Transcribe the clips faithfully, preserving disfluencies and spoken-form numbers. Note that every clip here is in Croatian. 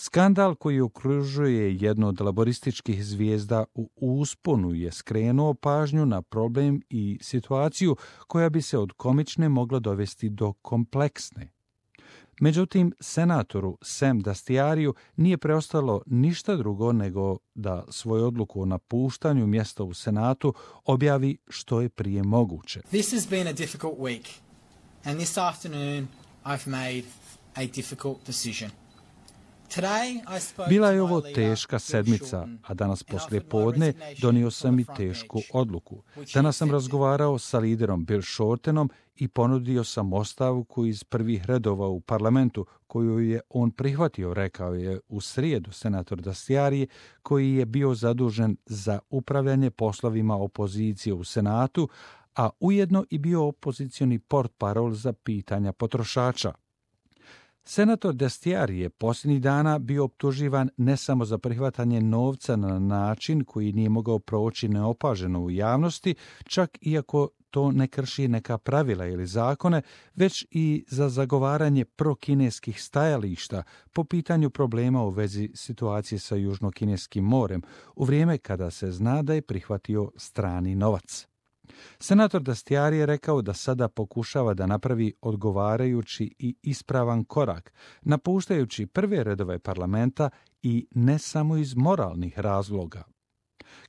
Skandal koji okružuje jednu od laborističkih zvijezda u usponu je skrenuo pažnju na problem i situaciju koja bi se od komične mogla dovesti do kompleksne. Međutim, senatoru Sam Dastiariju nije preostalo ništa drugo nego da svoju odluku o napuštanju mjesta u Senatu objavi što je prije moguće. This has been a difficult week, and this afternoon I've made a difficult decision. Bila je ovo teška sedmica, a danas poslije podne donio sam i tešku odluku. Danas sam razgovarao sa liderom Bill Shortenom i ponudio sam ostavku iz prvih redova u parlamentu, koju je on prihvatio, rekao je u srijedu senator Dastiari, koji je bio zadužen za upravljanje poslovima opozicije u Senatu, a ujedno i bio opozicioni portparol za pitanja potrošača. Senator Dastiari je posljednjih dana bio optuživan ne samo za prihvatanje novca na način koji nije mogao proći neopaženo u javnosti, čak iako to ne krši neka pravila ili zakone, već i za zagovaranje prokineskih stajališta po pitanju problema u vezi situacije sa Južnokineskim morem, u vrijeme kada se zna da je prihvatio strani novac. Senator Dastiari je rekao da sada pokušava da napravi odgovarajući i ispravan korak, napuštajući prve redove parlamenta i ne samo iz moralnih razloga.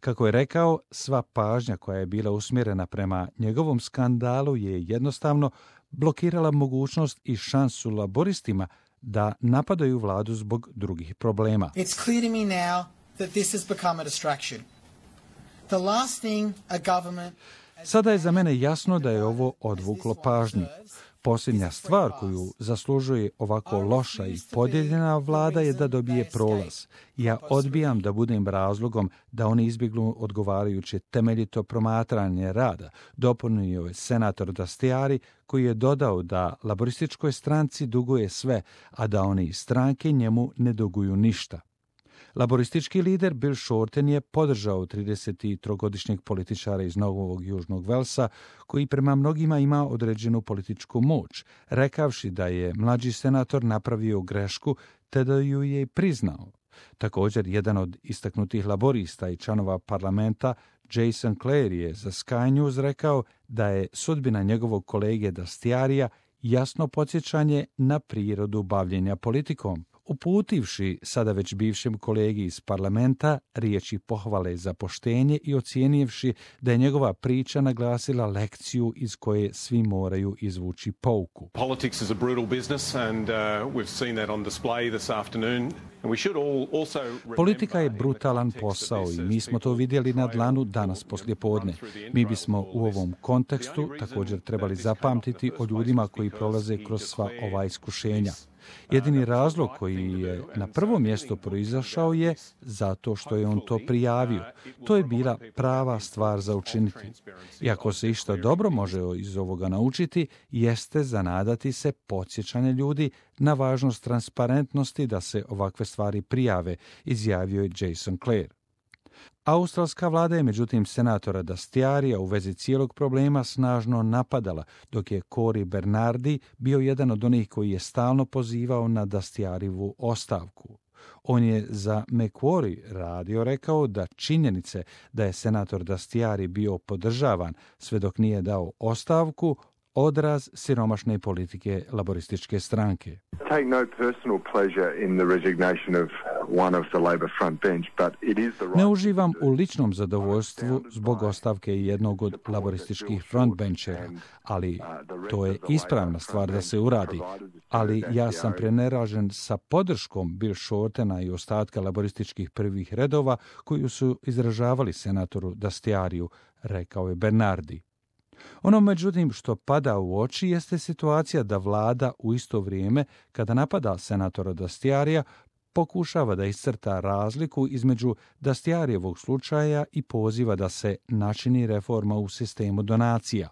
Kako je rekao, sva pažnja koja je bila usmjerena prema njegovom skandalu je jednostavno blokirala mogućnost i šansu laboristima da napadaju vladu zbog drugih problema. It's clear to me now that this has become a distraction. The last thing a government Sada je za mene jasno da je ovo odvuklo pažnju. Posljednja stvar koju zaslužuje ovako loša i podijeljena vlada je da dobije prolaz. Ja odbijam da budem razlogom da oni izbjegnu odgovarajuće temeljito promatranje rada, dopunio je senator Dastiari, koji je dodao da laborističkoj stranci duguje sve, a da oni iz stranke njemu ne duguju ništa. Laboristički lider Bill Shorten je podržao tridesettrogodišnjeg političara iz Novog Južnog Velsa, koji prema mnogima ima određenu političku moć, rekavši da je mlađi senator napravio grešku, te da ju je i priznao. Također, jedan od istaknutih laborista i članova parlamenta, Jason Clare, je za Sky News rekao da je sudbina njegovog kolege Dastiarija jasno podsjećanje na prirodu bavljenja politikom, uputivši sada već bivšem kolegi iz parlamenta riječi pohvale za poštenje i ocijenivši da je njegova priča naglasila lekciju iz koje svi moraju izvući pouku. Politics is a brutal business and uh, we've seen that on display this afternoon. And we should all also Politika je brutalan posao i mi smo to vidjeli na dlanu danas poslijepodne. Mi bismo u ovom kontekstu također trebali zapamtiti o ljudima koji prolaze kroz sva ova iskušenja. Jedini razlog koji je na prvo mjesto proizašao je zato što je on to prijavio. To je bila prava stvar za učiniti. I ako se išta dobro može iz ovoga naučiti, jeste zanadati se podsjećanje ljudi na važnost transparentnosti da se ovakve stvari prijave, izjavio je Jason Clare. Australska vlada je međutim senatora Dastiarija u vezi cijelog problema snažno napadala, dok je Cory Bernardi bio jedan od onih koji je stalno pozivao na Dastiarijevu ostavku. On je za Macquarie radio rekao da činjenice da je senator Dastiari bio podržavan sve dok nije dao ostavku, odraz siromašne politike laborističke stranke. Take no personal pleasure in the resignation of one of the Labor front bench, but it is the right... Ne uživam u ličnom zadovoljstvu zbog ostavke jednog od laborističkih frontbenchera, ali to je ispravna stvar da se uradi. Ali ja sam preneražen sa podrškom Bill Shortena i ostatka laborističkih prvih redova koju su izražavali senatoru Dastiariju, rekao je Bernardi. Ono međutim što pada u oči jeste situacija da vlada u isto vrijeme, kada napada senatora Dastiarija, pokušava da iscrta razliku između Dastiarijevog slučaja i poziva da se načini reforma u sistemu donacija.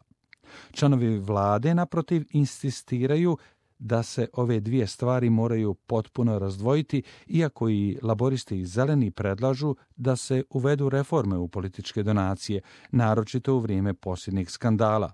Članovi vlade, naprotiv, insistiraju da se ove dvije stvari moraju potpuno razdvojiti, iako i laboristi i zeleni predlažu da se uvedu reforme u političke donacije, naročito u vrijeme posljednjih skandala.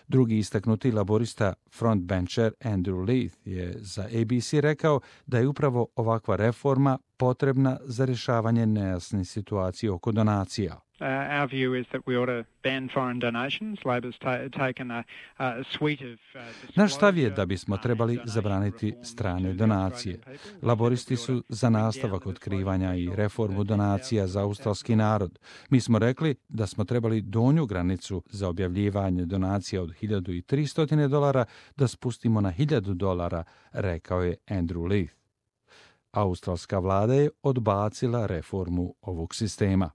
Drugi istaknuti laborista frontbencher Andrew Leith je za A B C rekao da je upravo ovakva reforma potrebna za rješavanje nejasne situacije oko donacija. Uh, our view is that we ought to ban foreign donations. Labor's ta- taken a, a suite of uh, Naš stav je da bismo trebali zabraniti strane donacije. Laboristi su za nastavak otkrivanja i reformu donacija za australski narod. Mi smo rekli da smo trebali donju granicu za objavljivanje donacija od hiljadu tristo dolara da spustimo na hiljadu dolara, rekao je Andrew Leith. Australska vlada je odbacila reformu ovog sistema.